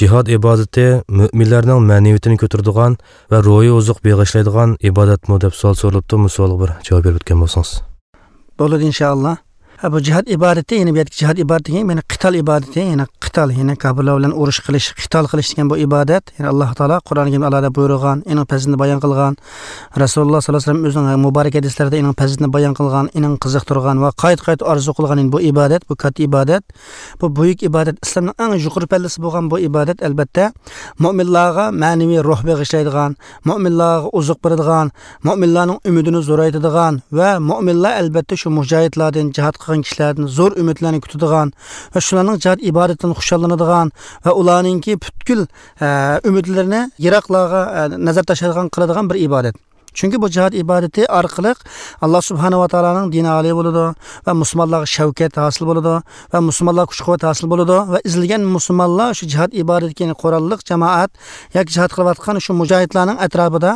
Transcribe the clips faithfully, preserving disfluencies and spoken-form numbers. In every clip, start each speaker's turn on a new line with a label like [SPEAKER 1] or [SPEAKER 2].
[SPEAKER 1] Jihad ibodati mo'minlarning ma'naviyatini ko'taradigan va ruhiy oziq beg'ishlaydigan ibodatmi deb savol so'ralibdi. Bu savolga bir javob berib o'tgan bo'lsangiz.
[SPEAKER 2] Bo'ladi inshaalloh. Ha, bu jihad ibodati, ya'ni bu yerdagi jihad ibodati degan, ya'ni qital ibodati, ya'ni qital, ya'ni kofirlar bilan urush qilish, qital qilish degan bu ibodat, ya'ni Alloh taolo Qur'oni Karimda alohida buyurgan, uning fazilatini bayon qilgan, Rasululloh sollallohu alayhi vasallam o'zining muborak hadislarida uning fazilatini bayon qilgan, uning qiziqtirgan va qayt-qayt orzu qilgan bu ibodat, bu katta ibodat, bu buyuk ibodat, islomning eng yuqori pallasi bo'lgan bu ibodat albatta mo'minlarga ma'naviy ruh bag'ishlaydigan, mo'minlarga oziq beradigan, mo'minlarning umidini zo'raytiradigan va mo'minlar albatta shu mujohidlardan, jihad qilgan kishilardan zo'r umidlarni kutadigan va shularning jihad ibodatidan xushallanadigan va ularningki butkul e, umidlarini yiroqlarga e, nazar tashlaydigan qiladigan bir ibodat. Chunki bu jihad ibodati orqali Alloh subhanahu va taoloning dini oliy bo'ladi va musulmonlarga shavkat hosil bo'ladi va musulmonlar kuch-quvvat hosil bo'ladi va izilgan musulmonlar shu jihad ibodatiga qurolliq jamoat yoki jihad qilayotgan shu mujohidlarning atrofida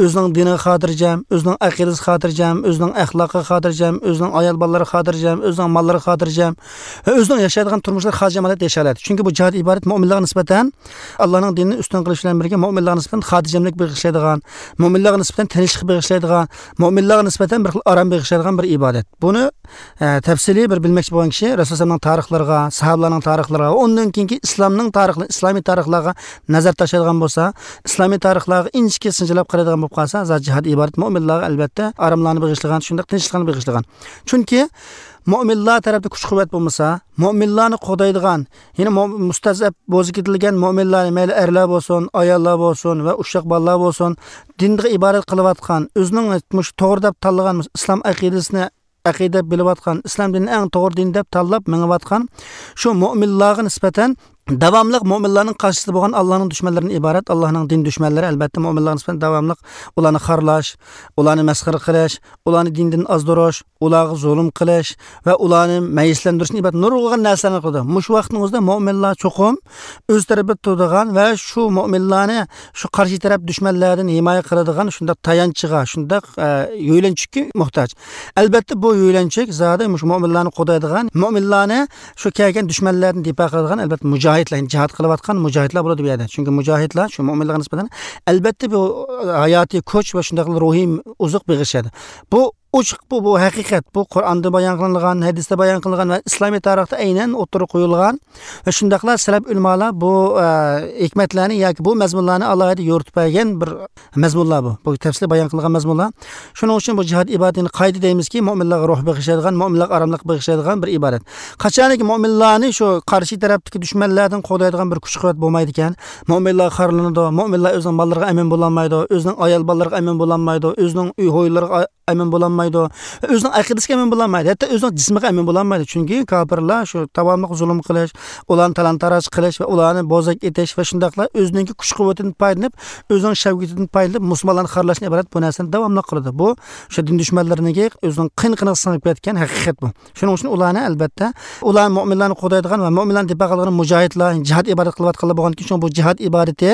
[SPEAKER 2] o'zining diniga xotirjam, o'zining aqidasi xotirjam, o'zining axloqiga xotirjam, o'zining ayol bolalari xotirjam, o'zining mollari xotirjam va o'zining yashaydigan turmushlari xotirjam holatda yashay oladi. Chunki bu jihad ibodat mo'minlarga nisbatan Allohning dinini ustun qilish bilan birga mo'minlarga nisbatan xotirjamlik bag'ishlaydigan, mo'minlarga nisbatan tinchlik bag'ishlaydigan, mo'minlarga nisbatan bir xil orom bag'ishlaydigan bir ibodat. Buni e, tafsiliy bir bilmoqchi bo'lgan kishi Rasulullohning tarixlariga, sahobalarning tarixlariga, undan keyingi islomning tarixlari, islomiy tarixlarga nazar tashlaydigan bo'lsa, islomiy tarixlarga inchki sinjilab qaraydigan bo'lib qolsa, zat jihad ibodat mo'minlarga albatta oromlarni bag'ishlagan, shundoq tinchlikni bag'ishlagan. Chunki mo'minlar tarafda kuch-quvvat bo'lmasa, mo'minlarni qo'daydigan, ya'ni mustazab bo'zib ketilgan mo'minlar, mayli erlar bo'lsin, ayollar bo'lsin va ushoq bolalar bo'lsin, dinga ibodat qilayotgan, o'zining to'g'ri deb tanlagan islom aqidasini aqida bilayotgan, islom dinini eng to'g'ri din deb tanlab mengayotgan shu mo'minlarga nisbatan davomliq mo'minlarning qarshisida bo'lgan Allohning dushmanlaridan iborat, Allohning din dushmanlari albatta mo'minlarga nisbatan davomliq ularni xorlash, ularni masxara qilish, ularni dindan ozdirish, ularga zulm qilish va ularni mayislantirishni iborat nurg'un narsalarni qildi. Mushu vaqtning o'zida mo'minlar cho'qim o'z tarafida turadigan va shu mo'minlarni shu qarshi taraf dushmanlardan himoya qiladigan shundoq tayanchiga, shundoq e, yo'ylanchikka muhtoj. Albatta bu yo'ylanchik zodi shu mo'minlarni qo'daydigan, mo'minlarni shu kelgan dushmanlardan difa qiladigan albatta mujohid, jihad qilayotgan mujohidlar bo'ladi bu yerda. Chunki mujohidlar shu mo'minlarga nisbatan albatta bu hayotiy kuch va shunday ruhiy oziq bag'ishadi. Bu ochiq, bu bu haqiqat, bu Qur'onda bayon qilingan, hadisda bayon qilingan va islomiy tarixda aynan o'tirib qo'yilgan va shundaqla salaf ulamolar bu e, hikmatlarni yoki bu mazmunlarni alohida yo'ritib bergan bir mazmunlar bu. Bu tafsili bayon qilingan mazmunlar. Shuning uchun bu jihad ibodatini qayda deymizki, mo'minlarga ruh bag'ishlaydigan, mo'minlarga oromlik bag'ishlaydigan bir ibodat. Qachonki mo'minlarni shu qarshi tarafdagi dushmanlardan qo'llaydigan bir kuch-quvvat bo'lmaydi ekan, mo'minlar xorlanadi, mo'minlar o'zining mollariga amin bo'lolmaydi, o'zining ayol bolalariga amin bo'lolmaydi, o'zining uy hovlilariga amin bo'lolmaydi, o'zining aqidasiga amin bo'lolmaydi, hatto o'zining jismiga amin bo'lolmaydi. Chunki kofirlar shu davomli zulm qilish, ularni talon-taroj qilish va ularni bozak etish va shundaqla o'zining kuch-quvvatidan foydalanib, o'zining shavkatidan foydalanib musulmonlarni xorlashni iborat bu narsani davomli qiladi. Bu o'sha din dushmanlariga o'zining qin-qiniga singib ketgan haqiqat bu. Shuning uchun ularni albatta ular mo'minlarni qo'daydigan va mo'minlarni difa qiladigan mujohidlar, jihad ibodat qilayotganlar bo'lgandan keyin bu jihad ibodati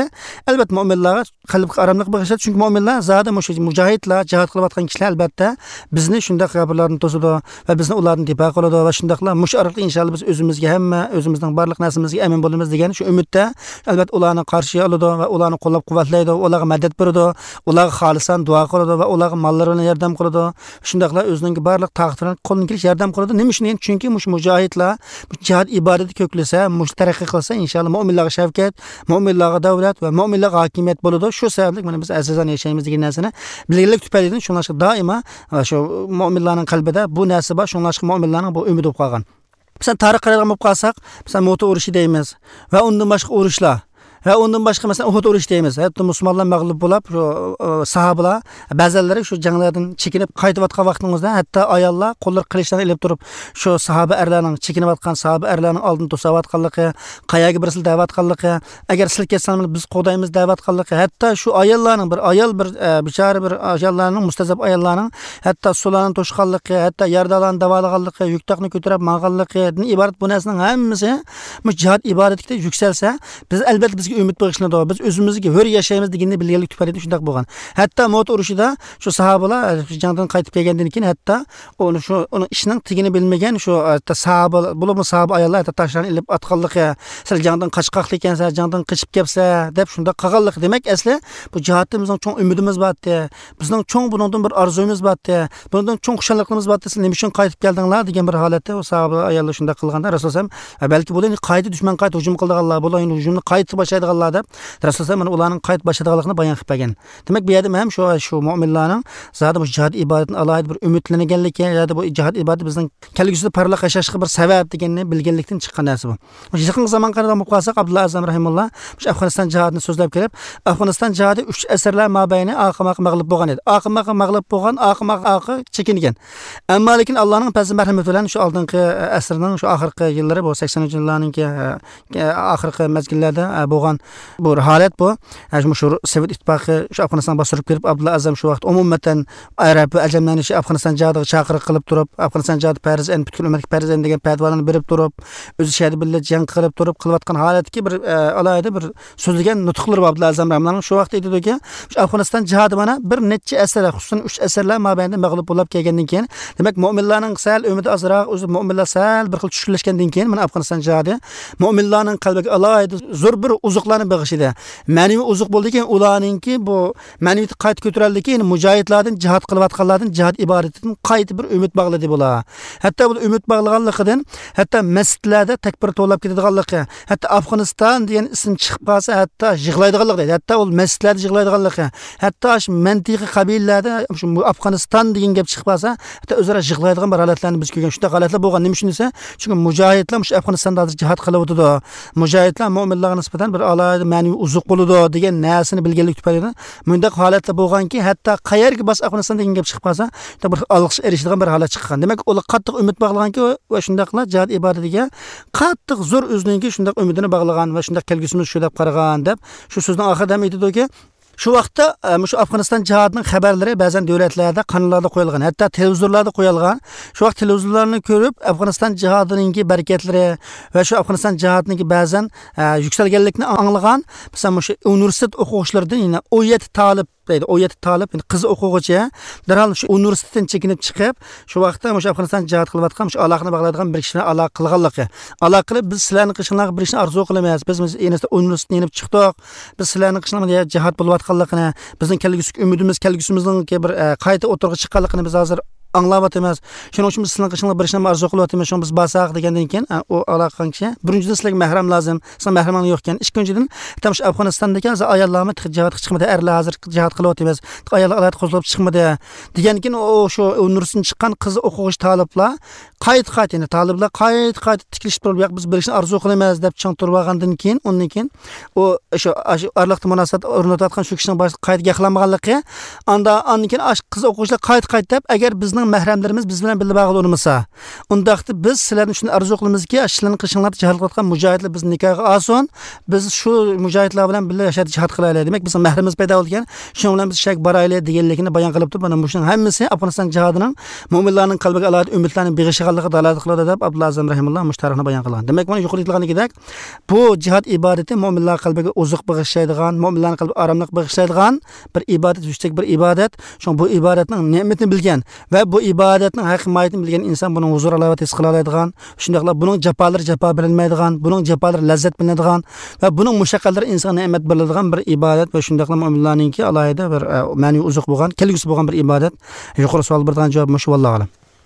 [SPEAKER 2] albatta mo'minlarga qalbga oromlik bag'ishlaydi. Chunki mo'minlar zodi mujohidlar, jihad qilayotgan kishilar albatta bizni shundoq kofirlardan to'sadi va bizni ulardan difa qiladi va shundoqla mush orqali inshaalloh biz o'zimizga hamma o'zimizning barliq narsamizga amin bo'lamiz degan shu umidda albatta ularni qarshi oladi va ularni qo'llab-quvvatlaydi, ularga madad beradi, ularga xolisan duo qiladi va ularga mollari bilan yordam qiladi. Shundoqla o'zining barliq taqdiridan bilan qo'ldan kelish yordam qiladi. Nima uchun? Chunki mush mujohidlar jihad ibodati ko'klasa, mush taraqqiy qilsa inshaalloh mo'minlarga shavkat, mo'minlarga davlat va mo'minlarga hokimiyat bo'ladi. Shu sababli mana biz azizona yashaymiz degan narsani bilganlik tufaylidan shunlashga doimo shu mo'minlarning qalbida bu narsa bor, shunlashga mo'minlarning bu umidi bo'lib qolgan. Masalan, tarix qaraydigan bo'lib qolsak, masalan, Mu'ta urushi deymiz va undan boshqa urushlar va undan boshqa masalan Uhud urushi deymiz. Hatto musulmonlar mag'lub bo'lib, shu sahobalar ba'zilari shu janglardan chekinib qaytayotgan vaqtingizda hatto ayollar qo'llar qilichlarni ilib turib shu sahoba erlarning chekinayotgan sahoba erlarning oldini to'sayotganligi, qayerga birsil da'vatganligi, agar sil ketsangiz biz qo'daymiz da'vatganligi, hatto shu ayollarning bir ayol bir bechora bir ayollarning mustazab ayollarning hatto sularni to'shqanligi, hatto yardalarni davolaganligi, yuktoqni ko'tarib manganligidan iborat bu narsaning hammasi bu jihad ibodatiga yuksalsa, biz albatta biz bizga umid bag'ishlanadi, biz o'zimizga hur yashaymiz deganni bilganlik tufayli shundoq bo'lgan. Hatto Mut urushida shu sahobalar jangdan qaytib kelgandan keyin hatto uni shu uni ishning tigini bilmagan shu hatto sahoba, bo'libmi sahoba ayollar hatto toshlarni ilib atganligi, "Sen jangdan qochqoqlik ekansan, jangdan qochib kelibsan" deb shundoq qilganligi. Demak, asli bu jihatda bizning cho'ng umidimiz bor edi, bizning cho'ng buningdan bir orzuyimiz bor edi, bundan cho'ng xushalliqimiz bor edi, siz nima uchun qaytib keldinglar degan bir holatda u sahoba ayollar shundoq qilganda Rasululloh balki bular qayta dushman qayta hujum qildiganlar, bular endi hujumni qayta boshlaydiganlar deb Rasululloh mana ularning qayta boshlaydiganligini bayon qilib bergan. Demak, bu yerda ham shu shu mu'minlarning zodi bu jihad ibodatini alohida bir umidlanganligi, yoki bu jihad ibodati bizning kelgusida parlaq yashashga bir sabab deganini bilganlikdan chiqqan narsa bu. Yaqin zaman qarab olib qolsak, Abdulloh Azam rahimulloh shu Afg'oniston jihadini so'zlab kelib, Afg'oniston jihadi uch asrlar mobayni oqim-oqim mag'lub bo'lgan edi. Oqim-oqim mag'lub bo'lgan, oqim-oqi chekingan. Ammo lekin Allohning fazli marhamati bilan shu oldingi asrning shu oxirgi yillari bu saksoninchi yillarninki oxirgi mezgillarda bo'lgan bu holat bu. Shu Sovet ittifoqi shu Afg'oniston bostirib kirib, Abdulloh Azam shu vaqt umuman arab va ajamlarni shu Afg'oniston jihadiga chaqiriq qilib turib, Afg'oniston jihadi farz en butkul ummatga farz en degan fatvolarni berib turib, o'zi shahid bilan jang qilib turib qilayotgan holatdagi bir alohida bir so'zlagan nutqlar bor Abdulloh Azam rahimahulloh. Shu vaqt aytadiki, shu Afg'oniston jihadi mana bir necha asrlar, xususan uch asrlar mobaynida mag'lub bo'lib kelgandan keyin, demak mu'minlarning sal umidi ozroq, o'zi mu'minlar sal bir xil tushkunlashgandan keyin mana Afg'oniston jihadi mu'minlarning qalbiga alohida zo'r bir uzuqlarni bag'ishidi. Ma'naviy uzuq bo'ldiki, ularningki bu ma'naviyat qayta ko'tarildiki, ya'ni mujohidlardan, jihad qilayotganlardan, jihad ibodatidan qayta bir umid bog'ladi bular. Hatto bu umid bog'laganligidan hatto masjidlarda takbir to'lab ketadiganligi, hatto Afg'oniston degan ism chiqib qolsa hatto yig'laydiganligi deydi. Hatto u masjidlarda yig'laydiganligi, hatto shu mantiqiy qabilalarda shu Afg'oniston degan gap chiqib qolsa hatto o'zaro yig'laydigan bir holatlarni biz ko'rgan. Shunday holatlar bo'lgan. Nima uchun desa, chunki mujohidlar shu Afg'onistonda hozir jihad qilib o'tadi. Mujohidlar mu'minlarga nisbatan bir alohida ma'naviy uzuq bo'ladi degan narsani bilganlik tufayli bunday holatlar bo'lganki, hatto qayerga bos Afg'oniston degan gap chiqib qolsa, bir olqish erishadigan bir holat chiqqan. Demak, ular qattiq umid bog'laganki va shundaqla jihad ibodatiga qattiq zo'r o'zininki shundaq umidini bog'lagan va shundaq kelgusimiz shu deb qaragan deb shu so'zning oxirida ham aytadiki, shu vaqtda shu Afg'oniston jihadining xabarlari ba'zan davlatlarda, kanallarda qo'yilgan, hatto televizorlarda qo'yilgan. Shu vaqt televizorlarni ko'rib Afg'oniston jihadininki barakatlari va shu Afg'oniston jihadininki ba'zan yuksalganlikni anglagan, masalan, shu universitet o'quvchilaridan yana o'n yetti talib deydi, o'n yetti talib, yani qiz o'quvchi darhol shu universitetdan chekinib chiqib, shu vaqtda o'sha Afg'oniston jihad qilayotgan, shu aloqani bog'laydigan bir kishini aloqa qilganligi. Aloqa qilib, biz sizlarni qishlarga bir ishni orzu qilamiz. Biz universitetdan yenib chiqdik. Biz sizlarni qishlarga jihad bo'layotganligini, bizning kelgusi umidimiz, kelgusimizning bir qayta o'tirg'i chiqqanligini biz hozir anglayapmiz. Shuning uchun biz sizlarni qishlarga bir ishni orzu qilyapmiz. Shuni biz basaq degandan keyin u aloqa qilgan kishi, birinchidan sizlarga mahram lozim, sizlar mahraming yo'q ekan. Ikkinchidan, tam shu Afg'onistondagi hozir ayollarni jihatga chiqmadi, erlar hozir jihat qilyapmiz. Ayollar qo'zg'alib chiqmadi degan keyin u shu universitetdan chiqqan qiz o'quvchi taliblar qayt-qayt, ya'ni taliblar qayt-qayt tikilishib turib, yo'q biz bir ishni orzu qilamiz deb chang turib olgandan keyin, undan keyin u shu orliqda munosabat o'rnatayotgan shu kishining boshi qayta gaplanmaganligi, anda undan keyin qiz o'quvchilar qayt-qayt deb, agar bizning mahramlarimiz biz bilan birga bog'li bo'lmasa, undaqda biz sizlarni shuni orzu qilamizki, sizlarni qishinglarda jihad qilayotgan mujohidlar bizni nikohga olsin, biz shu mujohidlar bilan birga yashab jihad qilaylik. Demak, bizning mahrimiz paydo bo'lgan, shuning bilan biz shak boraylik deganligini bayon qilib turib, mana shuning hammasi Afg'oniston jihadining mu'minlarning qalbiga alohida umidlarni beg'ishiganligi dalolat qiladi deb Abdulloh Azam rahimulloh mush tarixni bayon qilgan. Demak, mana yuqorida aytilganidek, bu jihad ibodati mu'minlar qalbiga uzuq bag'ishlaydigan, mu'minlarning qalbiga oromlik bag'ishlaydigan bir ibodat, yuksak bir ibodat. Shuning bu ibodatning ne'matini bilgan va bu ibodatning haqiqiy mohiyatini bilgan inson buning huzur halovat his qila oladigan, shundaqla buning jafolari jafo bilinmaydigan, buning jafolari lazzat bilinadigan va buning mushaqqatlari insonga ne'mat beriladigan bir ibodat va shundaqla mu'minlarningki alohida bir ma'naviy uzuq bo'lgan, kelgusi bo'lgan bir ibodat. Yuqori savol bergan javob shu, vallohu a'lam.